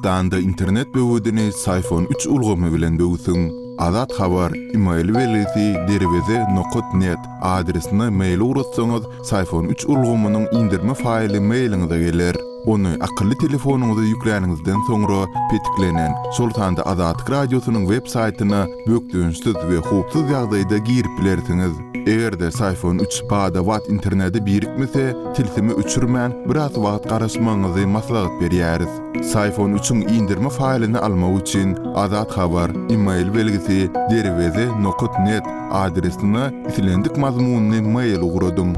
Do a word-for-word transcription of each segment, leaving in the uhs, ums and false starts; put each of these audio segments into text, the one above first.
Türkmenistanda internet böwedini Syfon üç ulgamy bilen böwsüň. Azat Habar, email belgisi derweze nokat net adresine mail ugratsaňyz, Syfon üç ulgamynyň indirme faýly mailiňize geler. Ony akylly telefonyňyza ýükläniňizden soňra petiklenen, şol sanda Azatlyk radiosynyň web saýtyna bökdençsiz we howpsuz ýagdaýda girip bilersiňiz. Eger-de Syfon üç bada-bat internete birikmese, tilsimi öçürmän biraz wagt garaşmagyňyzy maslahat berýäris. Syfon üçiň indirme faýlyny almak üçin Azat Habar, email belgisi derweze nokat net adresine islendik mazmunyny mail ugradyň.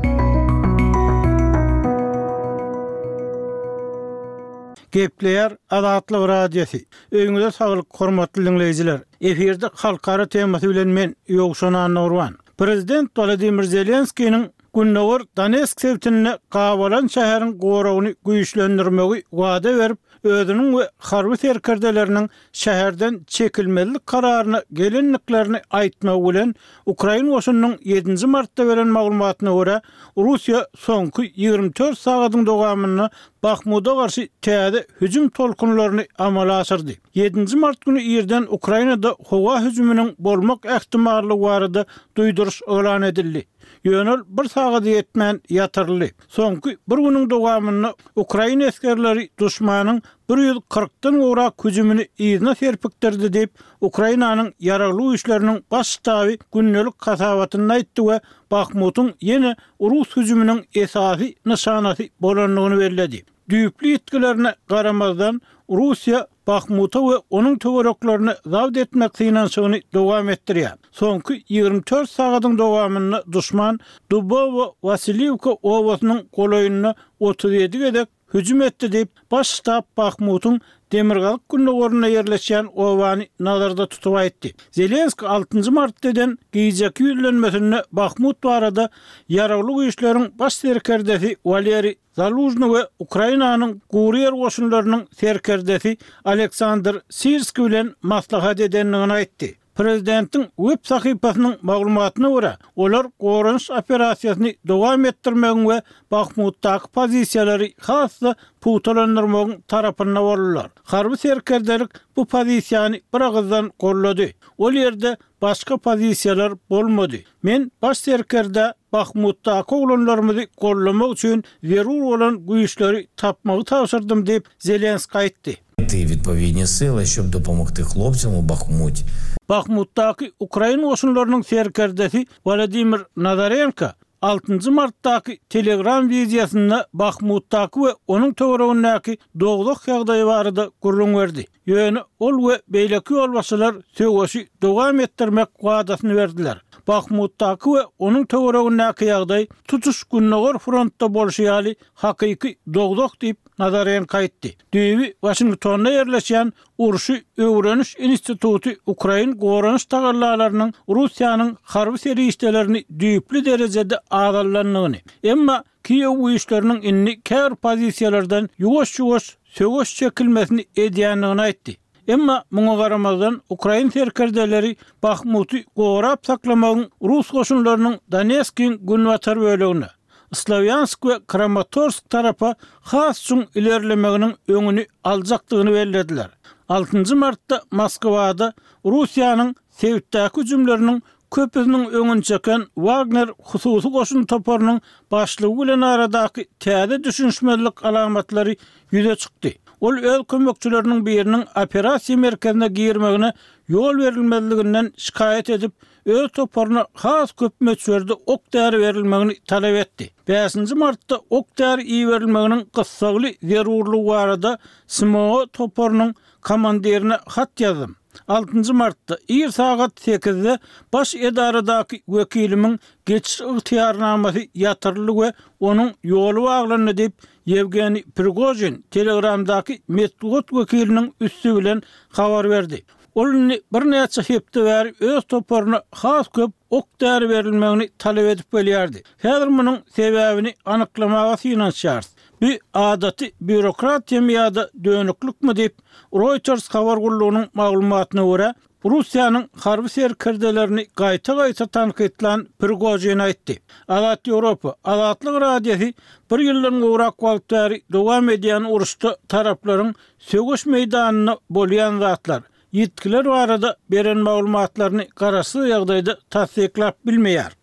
Gepleýär Azatlyk Radiosy. Öýüňize saglyk, hormatly dinleýjiler. Efirde halkara temasy bilen men Ýowşan Annurwan. Prezident Wladimir Zelenskiniň Gündogar Donetsk sebitinde gabalan şäheriň goragyny güýçlendirmegi wada berip, özüniň we harby serkerdeleriniň şäherden çekilmezlik kararyna gelenliklerini aýtmagy bilen Ukraina goşunynyň ýedinji martda beren maglumatyna görä, Russiýa soňky ýigrimi dört sagatyň dowamynda Bahmuda garşy täze hüjüm tolkunlaryny amala aşyrdy. Ýedinji mart güni irden Ukrainada howa hüjüminiň bolmak ähtimallygy barada duýduryş yglan edildi. Ýöne ol bir sagada ýetmän ýatyryldy. Soňky bir günüň dowamynda Ukraina esgerleri duşmanyň bir ýüz kyrkdan gowrak hüjümini yzyna serpikdirdi diýip, Ukrainanyň ýaragly güýçleriniň baş ştaby gündelik hasabatynda aýtdy we Bahmutyň ýene rus hüjüminiň esasy nyşanasy bolandygyny belledi. Düýpli ýitgilerine garamazdan, Russiýa Bahmuta we onuň töwereklerine zabt etmek synanyşygyny dowam etdirýär. Soňky ýigrimi dört sagatyň dowamynda duşman Dubowo Wasiliwka obasynyň golaýynda otuz ýedi gezek hüjüm etdi diýip, baş ştab Bahmutyň demirgazyk gündogarynda ýerleşýän obany nazarda tutup aýtdy. Zelenski altynjy martda eden gijeki ýüzlenmesinde Bahmut barada ýaragly güýçleriň baş serkerdesi Waleri Zaluzhny we Ukrainanyň gury ýer goşunlarynyň serkerdesi Aleksandr Sirski bilen maslahat edendigini aýtdy. Prezidentiň web sahypasynyň maglumatyna görä, olar goranyş operasiýasyny dowam etdirmegiň we Bahmutdaky pozisiýalary has-da pugtalandyrmagyň tarapynda boldular. Harby serkerdelik bu pozisiýany bir agyzdan gollady. Ol ýerde başga pozisiýalar bolmady. Men baş serkerde Bahmutdaky oglanlarymyzy gollamak üçin zerur bolan güýçleri tapmagy tabşyrdym diýip, Zelenski aýtdy. Відповідні сили, щоб допомогти хлопцям у Бахмуті. Bahmutdaky ukrain goşunlarynyň serkerdesi Wladimir Nazarenko altynjy martdaky Telegram wideosynda Bahmutdaky we onuň töweregindäki dogduk ýagdaýy barada gürrüň berdi. Ýöne ol we beýleki ýolbaşçylar söweşi dowam etdirmek wadasyny berdiler. Bahmutdaky we onuň töweregindäki ýagdaý tutuş Gündogar frontda bolşy ýaly hakyky dogduk diýip Nazarenko aýtdy. Düýbi Washingtonda ýerleşýän Urşy Öwreniş instituty Ukrain goranyş tagallalarynyň Russiýanyň harby serişdelerini düýpli derejede azallandygyny, emma Kiýew güýçleriniň indi käbir pozisiýalardan ýuwaş-ýuwaş söweş çekilmesini edýändigini aýtdy. Emma muňa garamazdan Ukrain serkerdeleri Bahmuty gorap saklamagyň rus goşunlarynyň Donetskiň günbatar bölegine, Slavyansk we Kramatorsk tarapa has çuň ilerlemeginiň öňüni aljakdygyny bellediler. Altynjy martda Moskwada Russiýanyň sebitdäki hüjümleriniň köpüsiniň öňüni çeken Wagner hususy goşun toparynyň başlygy bilen aradaky täze düşünişmezlik alamatlary ýüze çykdy. Ol öz kömekçileriniň biriniň operasiýa merkezine girmegine ýol berilmezliginden şikaýat edip, öz toparyna has köp möçberde ok däri berilmegini talap etdi. Bäşinji martda ok däri iberilmeginiň gyssagly zerurlygy barada S M O toparynyň komandirine hat ýazdym. Altynjy martda ir sagat sekizde baş edaradaky wekilimiň geçiş ygtyýarnamasy ýatyryldy we onuň ýoly baglandy diýip Ýewgeniý Prigojin Telegramdaky metbugat wekiliniň üsti bilen habar berdi. Ol indi birnäçe hepde bäri öz toparyna has köp ok däri berilmegini talap edip gelýärdi. Häzir munuň sebäbini anyklamaga synanyşýarys. Bu adaty býurokratiýa ýa-da dönüklikmi diýip Reuters habar gullugynyň maglumatyna görä Russiýanyň harby serkerdelerini gaýta-gaýta tankytlan Prigožin aýtdy. Azat Ýewropa, Azatlyk Radiosy bir ýyldan gowrak wagt bäri dowam edýän uruşda taraplaryň söweş meýdanynda bolýan zatlar, ýitgiler barada beren maglumatlaryny garaşsyz ýagdaýda tassyklap bilmeýär.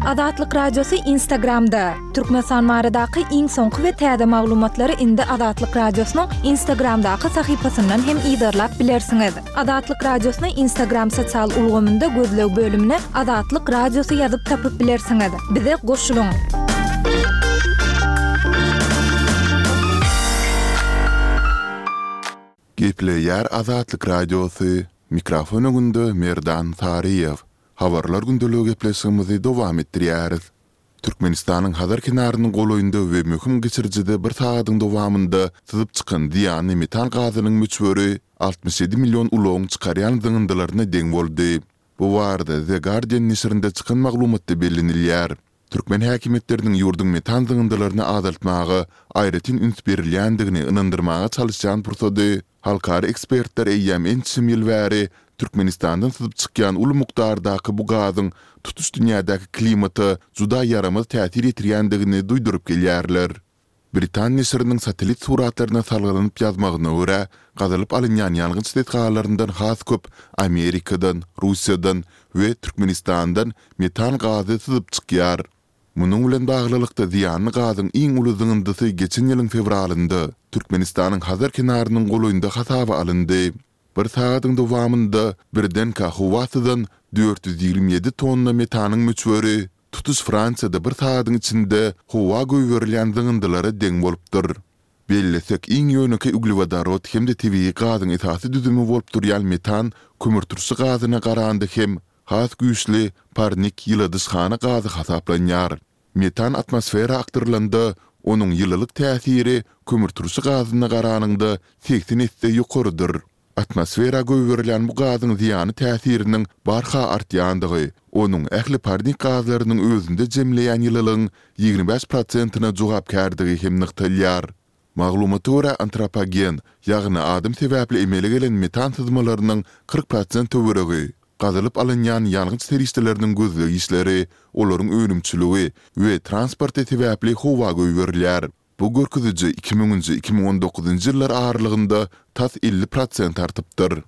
Azatlyk Radiosy Instagramda. Türkmenistan baradaky iň soňky we täze maglumatlary indi Azatlyk Radiosynyň Instagramdaky sahypasyndan hem yzarlap bilersiňiz. Azatlyk Radiosyny Instagram sosial ulgamynda gözleg bölümine Azatlyk Radiosy ýazyp tapyp bilersiňiz. Bize goşulyň! Gepleýär Azatlyk Radiosy, mikrofon öňünde Merdan Saryýew. Habarlar gündeligi gepleşigimizi dowam etdirýäris. Türkmenistanyň Hazar kenarynyň golaýynda we möhüm geçirijide bir sagadyň dowamynda syzyp çykan zyýanly metan gazynyň möçberi altmyş ýedi million ulagyň çykarýan zyňyndylaryna deň boldy. Bu barada The Guardian neşirinde çykan maglumatda bellenilýär. Türkmen häkimiýetleriniň ýurduň metan zyňyndylaryny azaltmaga aýratyn üns berilýändigini ynandyrmaga çalyşýan pursady, halkara ekspertler eýýäm ençeme ýyl bäri Türkmenistandan syzyp çykýan uly mukdardaky bu gazyň tutuş dünýädäki klimata juda ýaramaz täsir ýetirýändigini duýduryp gelýärler. Britan neşiriniň satellit suratlaryna salgylanyp ýazmagyna görä, gazylyp alynýan ýangyç desgalaryndan has köp Amerikadan, Russiýadan we Türkmenistandan metan gazy syzyp çykýar. Munuň bilen baglylykda, zyýanly gazyň iň uly zyňyndysy geçen ýylyň fewralynda Türkmenistanyň Hazar kenarynyň golaýynda hasaba alyndy. Bir sagadyň dowamynda birdenkä howa syzan dört ýüz ýigrimi ýedi tonna metanyň möçberi tutuş Fransiýada bir sagadyň içinde howa goýberilýän zyňyndylara deň bolupdyr. Bellesek, iň ýönekeý uglewodorod hem-de tebigy gazyň esasy düzümi bolup durýan metan kömürturşy gazyna garanda hem has güýçli parnik ýyladyşhana gazy hasaplanýar. Metan atmosfera akdyrylanda, onuň ýylylyk täsiri kömürturşy gazyna garanyňda segsen esse ýokarydyr. Atmosfera goýberilýän bu gazyň zyýanly täsiriniň barha artýandygy, onuň ähli parnik gazlarynyň özünde jemleýän ýylylygyň ýigrimi bäş prosentine jogapkärdigi hem nygtalýar. Maglumata görä, antropogen, ýagny adam sebäpli emele gelen metan syzmalarynyň kyrk prosent töweregi, gazylyp alynýan ýangyç serişdeleriniň gözleg işleri, olaryň önümçiligi we transporty sebäpli howa goýberilýär. Bu görkeziji iki müňünji, iki müň on dokuzynjy ýyllar aralygynda tas elli prosent artypdyr.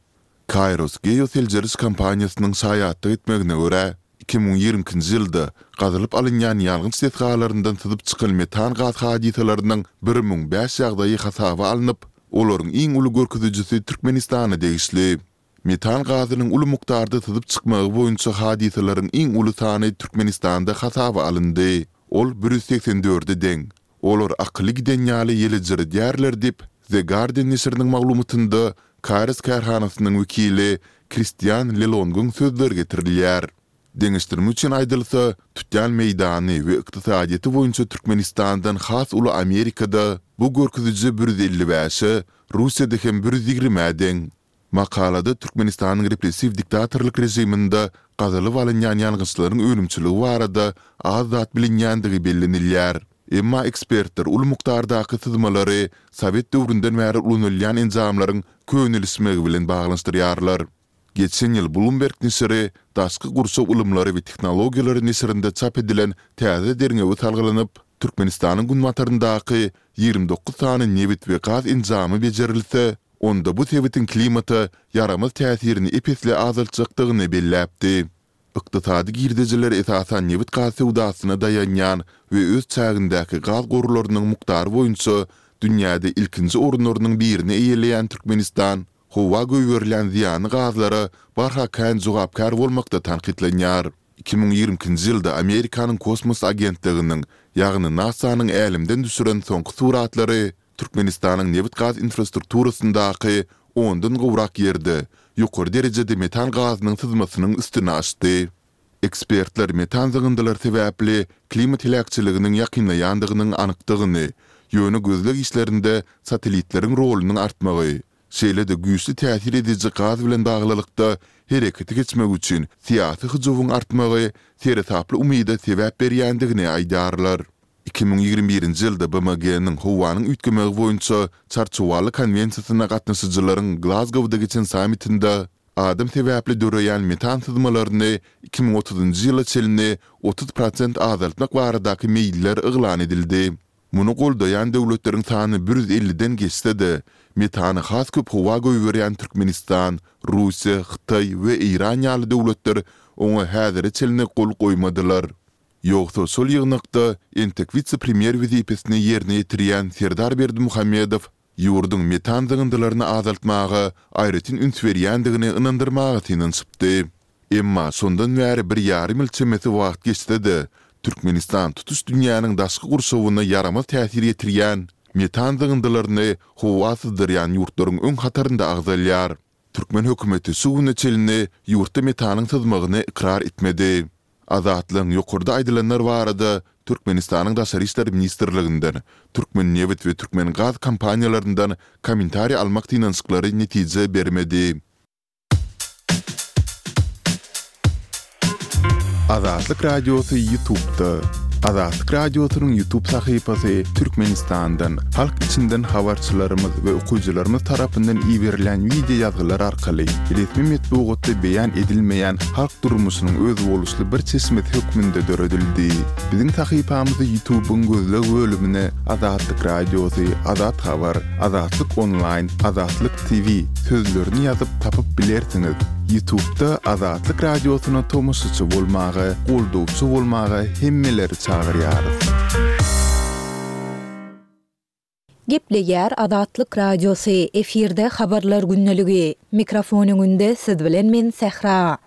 Kaýros geoseljeriş kompaniýasynyň şaýatlyk etmegine görä, iki müň ýigrimi ikinji ýylda gazylyp alynýan ýangyç desgalaryndan syzyp çykan metan gaz hadysalarynyň bir müň bäş ýagdaýy hasaba alnyp, olaryň iň uly görkezijisi Türkmenistana degişli. Metan gazynyň uly mukdarda syzyp çykmagy boýunça hadysalaryň iň uly sany Türkmenistanda hasaba alyndy. Ol bir ýüz segsen dörde deň. Olar akyly giden ýaly ýelejiredýärler diýip, The Guardian neşiriniň maglumatynda Kares kärhanasynyň wekili Kristian Lelongyň sözleri getirilýär. Deňeşdirme üçin aýdylsa, tutýan meýdany we ykdysadyýeti boýunça Türkmenistandan has uly Amerikada bu görkeziji bir ýüz elli bäşe, Russiýada hem bir ýüz ýigrimä deň. Makalada Türkmenistanyň repressiw diktatorlyk režiminde gazylyp alynýan ýangyçlaryň önümçiligi barada az zat bilinýändigi bellenilýär. Emma ekspertler uly mukdardaky syzmalary sowet döwründen bäri ulanylýan enjamlaryň könelişmegi bilen baglanyşdyrýarlar. Geçen ýyl Bloomberg neşiri Daşky gurşaw ylymlary we tehnologiýalary neşirinde çap edilen täze derňewe salgylanyp, Türkmenistanyň günbataryndaky ýigrimi dokuz sany nebit we gaz enjamy bejerilse, onda bu sebitiň klimata ýaramaz täsirini ep-esli azaltjakdygyny belläpdi. Ykdysady girdejiler esasan nebit-gaz söwdasyna daýanýan we öz çägindäki gaz gorlarynyň mukdary boýunça dünýäde ilkinji orunlarynyň birini eýeleýän Türkmenistan howa goýberilýän zyýanly gazlara barha kän jogapkär bolmakda tankytlanýar. Iki müň ýigrimi ikinji ýylda Amerikanyň kosmos agentliginiň, ýagny NASA-nyň älemden düşüren soňky suratlary Türkmenistanyň nebit-gaz infrastrukturasyndaky ondan gowrak ýerde ýokary derejede metan gazynyň syzmasynyň üstüni açdy. Ekspertler metan zyňyndylary sebäpli klimat heläkçiliginiň ýakynlaýandygynyň anykdygyny, ýöne gözleg işlerinde satellitleriň rolunyň artmagy, şeýle-de güýçli täsir ediji gaz bilen baglylykda herekete geçmek üçin syýasy hyjuwyň artmagy seresaply umyda sebäp berýändigini aýdýarlar. Iki müň ýigrimi birinji ýylda B M G-niň howanyň üýtgemegi boýunça Çarçuwaly konwensiýasyna gatnaşyjylaryň Glazgowda geçen sammitinde adam sebäpli döreýän metan syzmalaryny iki müň otuzynjy ýyla çenli otuz prosent azaltmak baradaky meýiller yglan edildi. Muny goldaýan döwletleriň sany bir ýüz elliden geçse-de, metany has köp howa goýberýän Türkmenistan, Russiýa, Hytaý we Eýran ýaly döwletler oňa häzire çenli gol goýmadylar. Ýogsa şol ýygnakda entek wise-premýer wezipesini ýerine ýetirýän Serdar Berdimuhamedow ýurduň metan zyňyndylaryny azaltmaga aýratyn üns berýändigini ynandyrmaga synanyşypdy. Emma şondan bäri bir ýarym ýyl çemesi wagt geçse-de, Türkmenistan tutuş dünýäniň daşky gurşawyna ýaramaz täsir ýetirýän metan zyňyndylaryny howa syzdyrýan ýurtlaryň öň hatarynda agzalýar. Türkmen hökümeti şu güne çenli ýurtda metanyň syzmagyny ykrar etmedi. Azatlygyň ýokarda aýdylanlar barada Türkmenistanyň Daşary işler ministrliginden, Türkmennebit we Türkmengaz kompaniýalaryndan kommentariý almak synanyşyklary netije bermedi. Azatlyk Radiosy YouTube'da. Azatlyk Radiosynyň YouTube sahypasy Türkmenistandan, halk içinden habarçylarymyz we okyjylarymyz tarapyndan iberilen wideo ýazgylar arkaly resmi metbugatda beýan edilmeýän halk durmuşynyň özboluşly bir çeşmesi hökmünde döredildi. Biziň sahypamyzy YouTube'yň gözleg bölümine Azatlyk Radiosy, Azat Habar, Azatlyk Online, Azatlyk T V sözlerini ýazyp tapyp bilersiňiz. YouTube'da Azatlyk Radiosyna tomaşaçy bolmaga, goldawçy bolmaga hemmeleri çagyrýarys. Gepleýär Azatlyk Radiosy, efirde habarlar gündeligi. Mikrofon öňünde siz bilen men Sähra.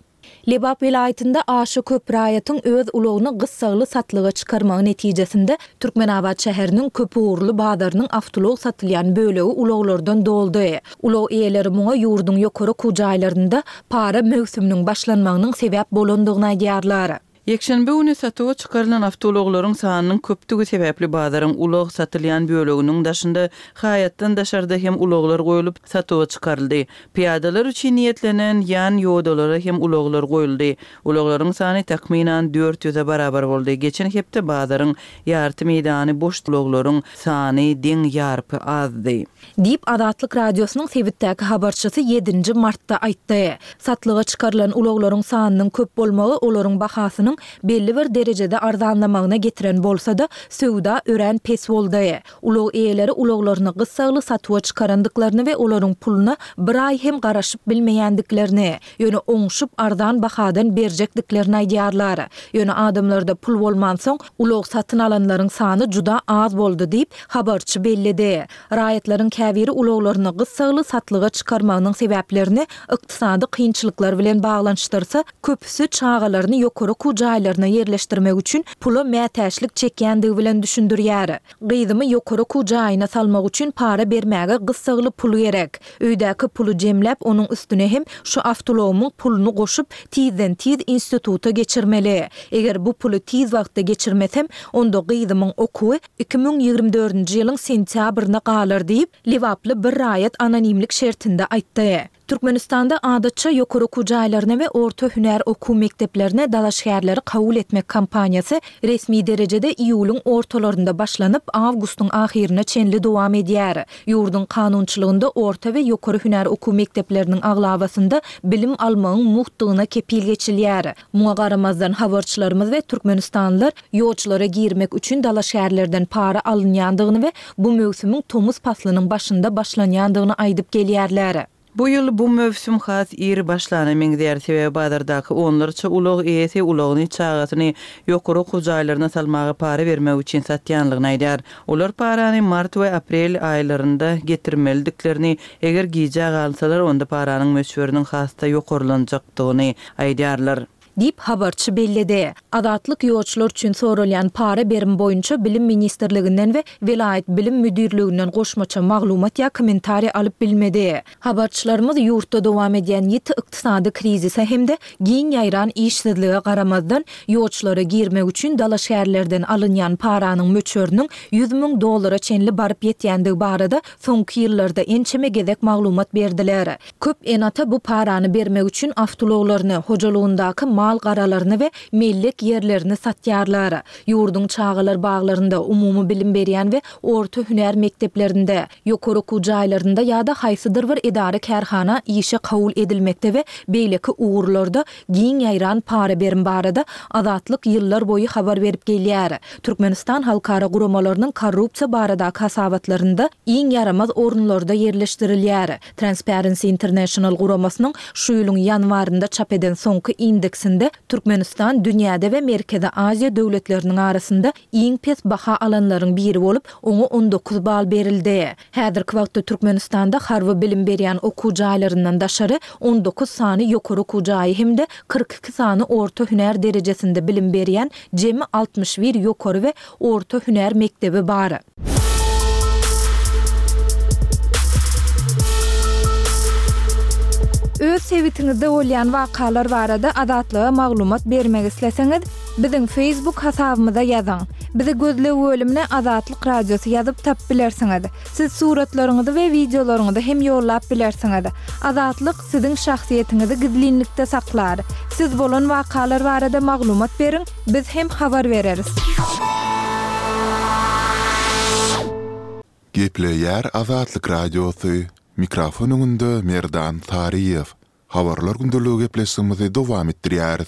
Lebap welaýatynda aşa köp raýatyň öz ulagyny gyssagly satlyga çykarmagy netijesinde Türkmenabat şäheriniň köpugurly bazarynyň awtoulag satylýan bölegi ulaglardan doldy. Ulag eýeleri muňa ýurduň ýokary okuw jaýlarynda para möwsüminiň başlanmagynyň sebäp bolandygyny aýdýarlar. Ýekşenbe güni satuwa çykarylan awtoulaglaryň sanynyň köpdügi sebäpli bazaryň ulag satylýan böleginiň daşynda haýatdan daşarda hem ulaglar goýulyp satuwa çykaryldy. Pyýadalar üçin niýetlenen ýan ýodalara hem ulaglar goýuldy. Ulaglaryň sany takmynan dört ýüze barabar boldy. Geçen hepde bazaryň ýarty meýdany boş ulaglaryň sany deň ýarpy azdy. Diýip Azatlyk Radiosynyň sebitdäki habarçysy ýedinji martda aýtdy. Satlyga çykarylan ulaglaryň sanynyň köp bolmagy olaryň bahasynyň belli bir derejede arzanlamagyna getiren bolsa-da, söwda örän pes boldy. Ulag eýeleri ulaglaryny gyssagly satuwa çykarandyklaryny we olaryň puluna bir aý hem garaşyp bilmeýändiklerini, ýöne oňşup arzan bahadan berjekdiklerini aýdýarlar. Ýöne adamlarda pul bolmansoň, ulag satyn alanlaryň sany juda az boldy diýip, habarçy belledi. Raýatlaryň käbiri ulaglaryny gyssagly satlyga çykarmagynyň sebäplerini ykdysady kynçylyklar bilen baglanyşdyrsa, köpüsi çagalaryny ýokary okuw jaýlaryna ýerleşdirmek üçin pula mätäçlik çekýändigi bilen düşündirýär. Gyzymy ýokary okuw jaýyna salmak üçin para bermäge gyssagly pul gerek. Öýdäki puly jemläp, onuň üstüne hem şu awtoulagymyň puluny goşup, tizden-tiz instituta geçirmeli. Eger bu puly tiz wagtda geçirmesem, onda gyzymyň okuwy iki müň ýigrimi dördünji ýylyň sentýabryna galar diýip, lebaply bir raýat anonimlik şertinde aýtdy. Türkmenistanda adatça ýokary okuw jaýlaryna we orta hünär okuw mekdeplerine dalaşgärleri kabul etmek kampaniýasy resmi derejede iýulyň ortalarynda başlanyp, awgustyň ahyryna çenli dowam edýär. Ýurduň kanunçylygynda orta we ýokary hünär okuw mekdepleriniň aglabasynda bilim almagyň mugtdygyna kepil geçilýär. Muňa garamazdan habarçylarymyz we türkmenistanlylar ýolçulara girmek üçin dalaşgärlerden para alynýandygyny we bu möwsümiň tomus paslynyň başynda başlanýandygyny aýdyp gelýärler. Bu ýyl bu möwsüm has ir başlana meňzeýär, sebäbi bazardaky onlarça ulag eýesi ulagyny çagasyny ýokary okuw jaýlaryna salmaga para bermek üçin satýanlygyny aýdýar. Olar parany mart we aprel aýlarynda getirmelidiklerini, eger gijä galsalar onda paranyň möçberiniň has-da ýokarlanjakdygyny aýdýarlar. Diýip habarçy belledi. Azatlyk ýolçular üçin soralýan para berim boýunça Bilim ministrliginden we welaýat bilim müdirliginden goşmaça maglumat ýa kommentariý alyp bilmedi. Habarçylarymyz ýurtda dowam edýän ýiti ykdysady krizise hem-de giň ýaýran işsizlige garamazdan, ýolçulara girmek üçin dalaşgärlerden alynýan paranyň möçberiniň ýüz müň dollara çenli baryp ýetýändigi barada soňky ýyllarda ençeme gezek maglumat berdiler. Köp ene-ata bu parany bermek üçin awtoulaglaryny, hojalygyndaky mal mal-garalaryny we mellek ýerlerini satýarlar. Ýurduň çagalar baglarynda, umumy bilim berýän we orta hünär mekdeplerinde, ýokary okuw jaýlarynda ýa-da haýsydyr bir edara-kärhana işe kabul edilmekde we beýleki ugurlarda giň ýaýran para-berim barada Azatlyk ýyllar boýy habar berip gelýär. Türkmenistan halkara guramalarynyň korrupsiýa baradaky hasabatlarynda iň ýaramaz orunlarda ýerleşdirilýär. Transparency International guramasynyň şu ýylyň ýanwarynda çap eden soňky indeksinde Türkmenistan dünýäde we Merkezi Aziýa döwletleriniň arasynda iň pes baha alanlaryň biri bolup, oňa on dokuz bal berildi. Häzirki wagtda Türkmenistanda harby bilim berýän okuw jaýlaryndan daşary on dokuz sany ýokary okuw jaýy hem-de kyrk iki sany orta hünär derejesinde bilim berýän jemi altmyş bir ýokary we orta hünär mekdebi bar. Öz sebitiňizde bolýan wakalar barada Azatlyga maglumat bermek isleseňiz, biziň Facebook hasabymyza ýazyň. Bizi gözleg bölümine Azatlyk Radiosy ýazyp tapyp bilersiňiz. Siz suratlaryňyzy we wideolaryňyzy hem ýollap bilersiňiz. Azatlyk siziň şahsyýetiňizi gizlinlikde saklar. Siz bolan wakalar barada maglumat beriň, biz hem habar bereris. Gepleýär Azatlyk Radiosy, mikrofon öňünde Merdan Saryýew. Habarlar gündeligi gepleşigimizi dowam etdirýäris.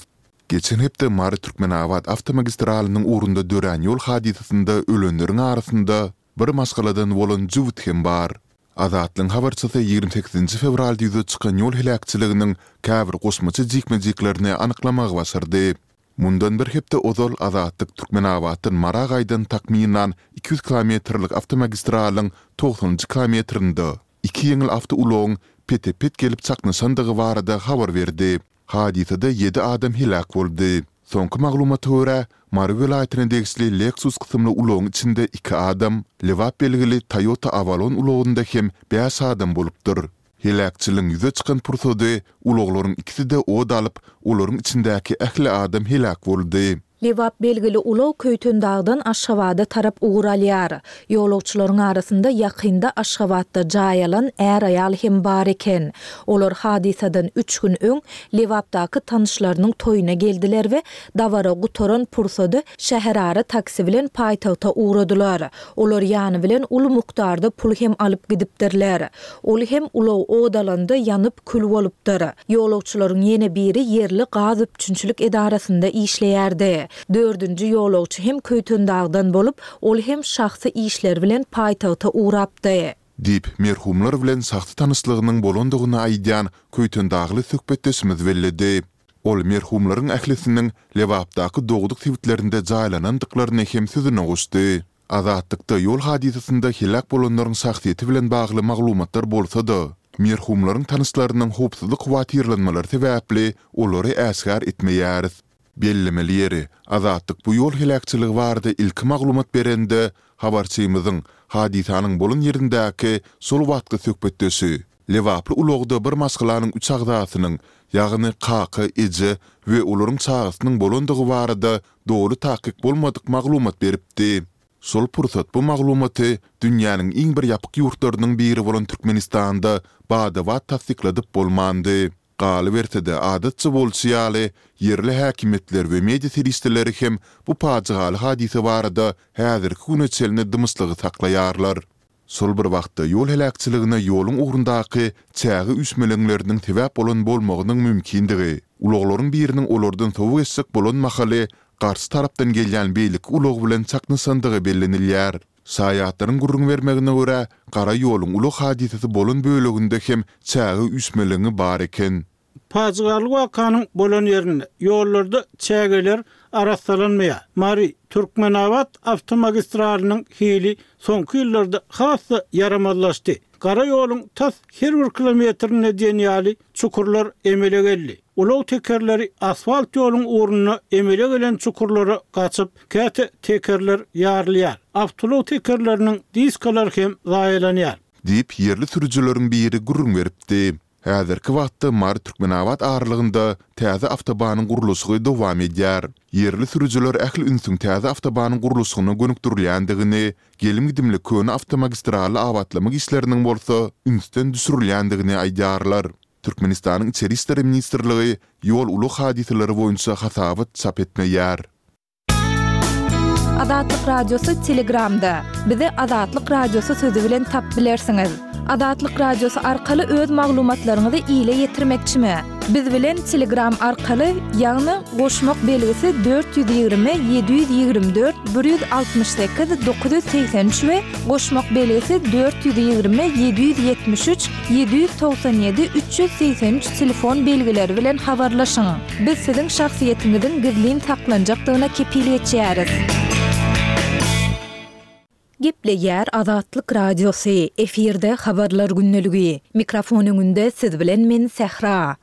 Geçen hepde Mary-Türkmenabat awtomagistralynyň ugrunda dörän ýol hadysasynda ölenleriň arasynda bir maşgaladan bolan jübüt hem bar. Azatlygyň habarçysy ýigrimi sekizinji fewralda ýüze çykan ýol heläkçiliginiň käbir goşmaça jikme-jiklerini anyklamagy başardy. Mundan bir hepde ozal Azatlyk Türkmenabatdan Mara gaýdan takmynan iki ýüz kilometrlik awtomagistralyň togsanynjy kilometrinde iki ýeňil awtoulagyň pete-pet gelip çaknyşandygy barada habar berdi. Hadysada ýedi adam heläk boldy. Soňky maglumata görä, Mary welaýatyna degişli Lexus kysymly ulagyň içinde iki adam, Lebap belgili Toyota Avalon ulagynda hem bäş adam bolupdyr. Heläkçiligiň ýüze çykan pursady ulaglaryň ikisi-de ot alyp, olaryň içindäki ähli adam heläk boldy. Lebap belgili ulag Köýtendagdan Aşgabada tarap ugur alýar. Ýolagçylaryň arasynda ýakynda Aşgabatda jaý alan är-aýal hem bar eken. Olar hadysadan üç gün öň Lebapdaky tanyşlarynyň toýuna geldiler we dabara gutaran pursady şäherara taksi bilen paýtagta ugradylar. Olar ýany bilen uly mukdarda pul hem alyp gidipdirler. Ol hem ulag ot alanda ýanyp kül bolupdyr. Ýolagçylaryň ýene biri ýerli gaz üpjünçilik edarasynda işleýärdi. Dördünji ýolagçy hem Köýtendagdan bolup, ol hem şahsy işleri bilen paýtagta ugrapdy. Diýip, merhumlar bilen şahsy tanyşlygynyň bolandygyny aýdýan köýtendagly söhbetdeşimiz belledi. Ol merhumlaryň ählisiniň Lebapdaky dogduk sebitlerinde jaýlanandyklaryny hem sözüne goşdy. Azatlykda ýol hadysasynda heläk bolanlaryň şahsyýeti bilen bagly maglumatlar bolsa-da, merhumlaryň tanyşlarynyň howpsuzlyk howatyrlanmalary sebäpli olary äşgär etmeýäris. Bellemeli ýeri, Azatlyk bu ýol heläkçiligi barada ilki maglumat berende, habarçymyzyň hadysanyň bolan ýerindäki şol wagtky söhbetdeşi, lebaply ulagda bir maşgalanyň üç agzasynyň, ýagny kaka, eje we olaryň çagasynyň bolandygy barada doly takyk bolmadyk maglumat beripdi. Şol pursat bu maglumaty dünýäniň iň bir ýapyk ýurtlarynyň biri bolan Türkmenistanda bada-bat tassykladyp bolmandy. Galyberse-de, adatça bolşy ýaly, ýerli häkimiýetler we media serişdeleri hem bu pajygaly hadysa barada häzirki güne çenli dymyşlygy saklaýarlar. Şol bir wagtda ýol heläkçiligine ýoluň ugrundaky çäge üýşmeleňleriniň sebäp bolan bolmagynyň mümkindigi, ulaglaryň biriniň olardan sowa geçjek bolan mahaly garşy tarapdan gelýän beýleki ulag bilen çaknyşandygy bellenilýär. Şaýatlaryň gürrüň bermegine görä, gara ýoluň ulag hadysasy bolan böleginde hem çäge üýşmeleňi bar eken. Pajygaly wakanyň bolan ýerinde ýollarda çägeler arassalanmaýar. Mary, Türkmenabat awtomagistralynyň hili soňky ýyllarda has-da ýaramazlaşdy. Gara ýoluň tas her bir kilometrinde diýen ýaly çukurlar emele geldi. Ulag tekerleri asfalt ýoluň ugrunda emele gelen çukurlara gaçyp, käte tekerler ýarylýar. Awtoulag tekerleriniň diskalary hem zaýalanýar. Diýip, ýerli sürüjileriň biri gürrüň beripdi. Häzirki wagtda Mary-Türkmenabat aralygynda täze awtobanyň gurluşygy dowam edýär. Ýerli sürüjiler ähli ünsüň täze awtobanyň gurluşygyna gönükdirilýändigini, gelim-gidimli köne awtomagistraly abatlamak işleriniň bolsa ünsden düşürilýändigini aýdýarlar. Türkmenistanyň Içeri işler ministrligi ýol-ulag hadysalary boýunça hasabat çap etmeýär. Azatlyk Radiosy Telegramda. Bizi Azatlyk Radiosy sözi bilen tapyp bilersiňiz. Azatlyk Radiosy arkaly öz maglumatlaryňyzy ile ýetirmekçimi? Biz bilen Telegram arkaly, ýagny goşmak belgisi dört ýüz ýigrimi ýedi ýüz ýigrimi dört bir ýüz altmyş sekiz dokuz ýüz segsen üç we goşmak belgisi dört ýüz ýigrimi ýedi ýüz ýetmiş üç ýedi ýüz togsan ýedi üç ýüz segsen üç telefon belgileri bilen habarlaşyň. Biz siziň şahsyýetiňiziň gizlin saklanjakdygyna kepil geçýäris. Gepleýär Azatlyk Radiosy, efirde Habarlar gündeligi. Mikrofon öňünde siz bilen men Sähra.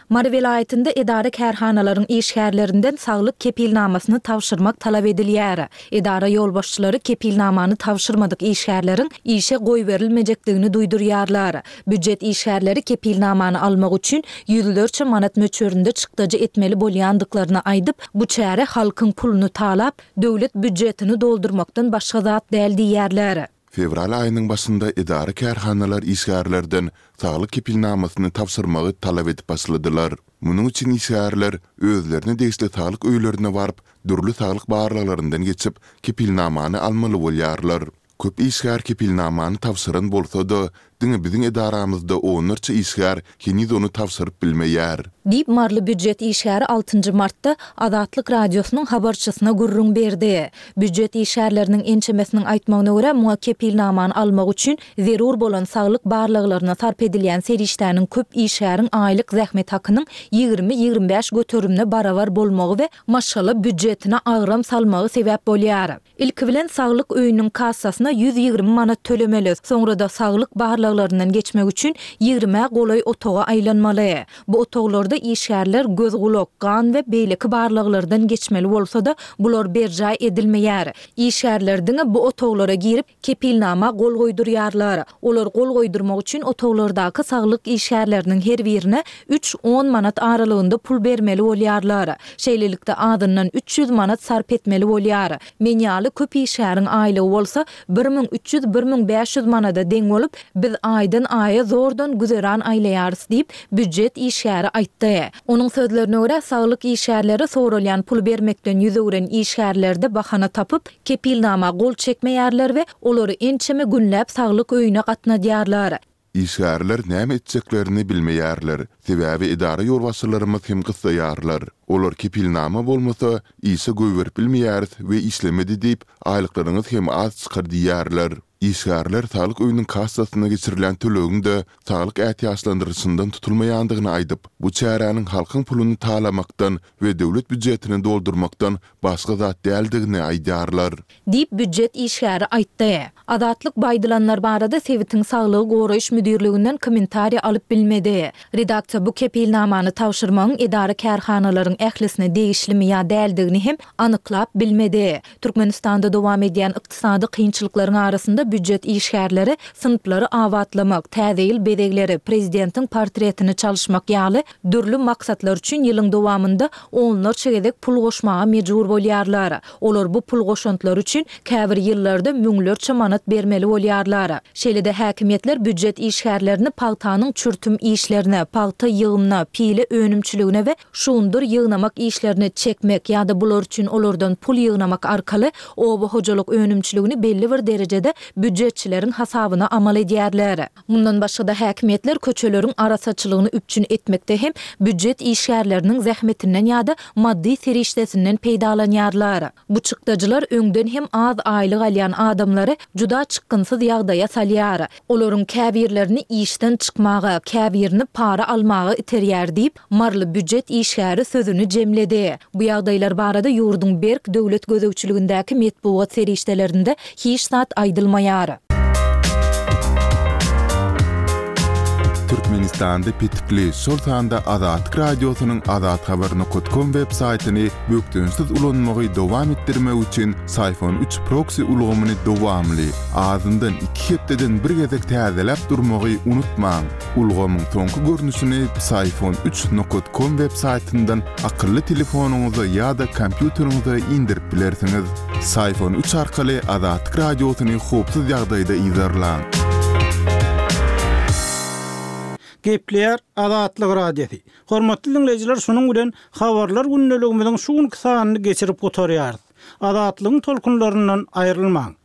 Mary welaýatynda edara-kärhanalaryň işgärlerinden saglyk kepilnamasyny tabşyrmak talap edilýär. Edara ýolbaşçylary kepilnamany tabşyrmadyk işgärleriň işe goýberilmejekdigini duýdurýarlar. Býujet işgärleri kepilnamany almak üçin ýüzlerçe manat möçberinde çykdajy etmeli bolýandyklaryny aýdyp, bu çäre halkyň puluny talap, döwlet býujetini doldurmakdan başga zat däl diýýärler. Fewral aýynyň başynda edara-kärhanalar işgärlerden saglyk kepilnamasyny tabşyrmagy talap edip başladylar. Munuň üçin işgärler özlerine degişli saglyk öýlerine baryp, dürli saglyk barlaglaryndan geçip, kepilnamany almaly bolýarlar. Köp işgär kepilnamany tabşyran bolsa-da, diňe biziň edaramyzda onlarça işgär heniz ony tabşyryp bilmeýär. Diýip, maryly býujet işgäri altynjy martda Azatlyk Radiosynyň habarçysyna gürrüň berdi. Býujet işgärleriniň ençemesiniň aýtmagyna görä, muňa kepilnamany almak üçin zerur bolan saglyk barlaglaryna sarp edilýän serişdäniň köp işgäriň aýlyk zähmet hakynyň ýigrimi-ýigrimi bäş göterimine barabar bolmagy we maşgala býujetine agram salmagy sebäp bolýar. Ilki bilen saglyk öýüniň kassasyna ýüz ýigrimi manat tölemeli, soňra-da saglyk barlaglaryndan geçmek üçin ýigrimä golaý otaga aýlanmaly. Bu otaglarda işgärler göz-gulak, gan we beýleki barlaglardan geçmeli bolsa-da, bular berjaý edilmeýär. Işgärler diňe bu otaglara girip, kepilnama gol goýdurýarlar. Olar gol goýdurmak üçin otaglardaky saglyk işgärleriniň her birine üç, on manat aralygynda pul bermeli bolýarlar. Şeýlelikde, azyndan üç ýüz manat sarp etmeli bolýar. Men ýaly köp işgäriň aýlygy bolsa bir müň üç ýüz, bir müň bäş ýüz manada deň bolup, biz aýdan aýa zordan güzeran aýlaýarys diýip, býujet işgäri aýtdy. Onuň sözlerine görä, saglyk işgärleri soralýan puly bermekden ýüz öwren işgärlerde bahana tapyp, kepilnama gol çekmeýärler we olary ençeme günläp saglyk öýüne gatnadýarlar. Işgärler näme etjeklerini bilmeýärler, sebäbi edara ýolbaşçylarymyz hem gyssaýarlar. Olar kepilnama bolmasa, işe goýberip bilmeýäris we işlemedi diýip, aýlyklaryňyz hem az çykar diýýärler. Işgärler saglyk öýüniň kassasyna geçirilýän tölegiň-de saglyk ätiýaçlandyryşyndan tutulmaýandygyny aýdyp, bu çäräniň halkyň puluny talamakdan we döwlet býujetini doldurmakdan başga zat däldigini aýdýarlar. Diýip, býujet işgäri aýtdy. Azatlyk bu aýdylanlar barada sebitiň saglygy goraýyş müdirliginden kommentariý alyp bilmedi. Redaksiýa bu kepilnamany tabşyrmagyň edara-kärhanalaryň ählisine degişlimi ýa däldigini hem anyklap bilmedi. Türkmenistanda dowam edýän ykdysady kynçylyklaryň arasynda býujet işgärleri synplary abatlamak, täze ýyl bezegleri, prezidentiň portretini çalyşmak ýaly dürli maksatlar üçin ýylyň dowamynda onlarça gezek pul goşmaga mejbur bolýarlar. Olar bu pul goşantlary üçin käbir ýyllarda müňlerçe manat bermeli bolýarlar. Şeýle-de häkimiýetler býujet işgärlerini pagtanyň çürtüm işlerine, pagta ýygymyna, pile önümçiligine we şugundyr ýygnamak işlerine çekmek ýa-da bular üçin olardan pul ýygnamak arkaly oba hojalyk önümçiligini belli bir derejede býujetçileriň hasabyna amal edýärler. Mundan başga-da häkimiýetler köçeleriň arassaçylygyny üpjün etmekde hem býujet işgärleriniň zähmetinden ýa-da maddy serişdesinden peýdalanýarlar. Bu çykdajylar öňden hem az aýlyk alýan adamlary juda çykgynsyz ýagdaýa salýar. Olaryň käbirlerini işden çykmaga, käbirini para almaga iterýär diýip, maryly býujet işgäri sözüni jemledi. Bu ýagdaýlar barada ýurduň berk döwlet gözegçiligindäki metbugat serişdelerinde hiç zat aýdylmaýar. Türkmenistanda petikli, şol sanda Azatlyk Radiosynyň azathabar nokat kom web saýtyny bökdençsiz ulanmagy dowam etdirmek üçin Syfon üç proksi ulgamyny dowamly, azyndan iki hepdeden bir gezek täzeläp durmagy unutmaň. Ulgamyň soňky görnüşini Psiphon üç nokat kom web saýtyndan akylly telefonyňyza ýa-da kompýuteriňize indirip bilersiňiz. Psiphon üç arkaly Azatlyk Radiosyny howpsuz ýagdaýda yzarlaň. Gepleýär Azatlyk Radiosy. Hormatly diňleýjiler, şunuň bilen Habarlar gündeligimiziň şu günki sanyny geçirip gutarýarys. Azatlygyň tolkunlaryndan aýrylmaň.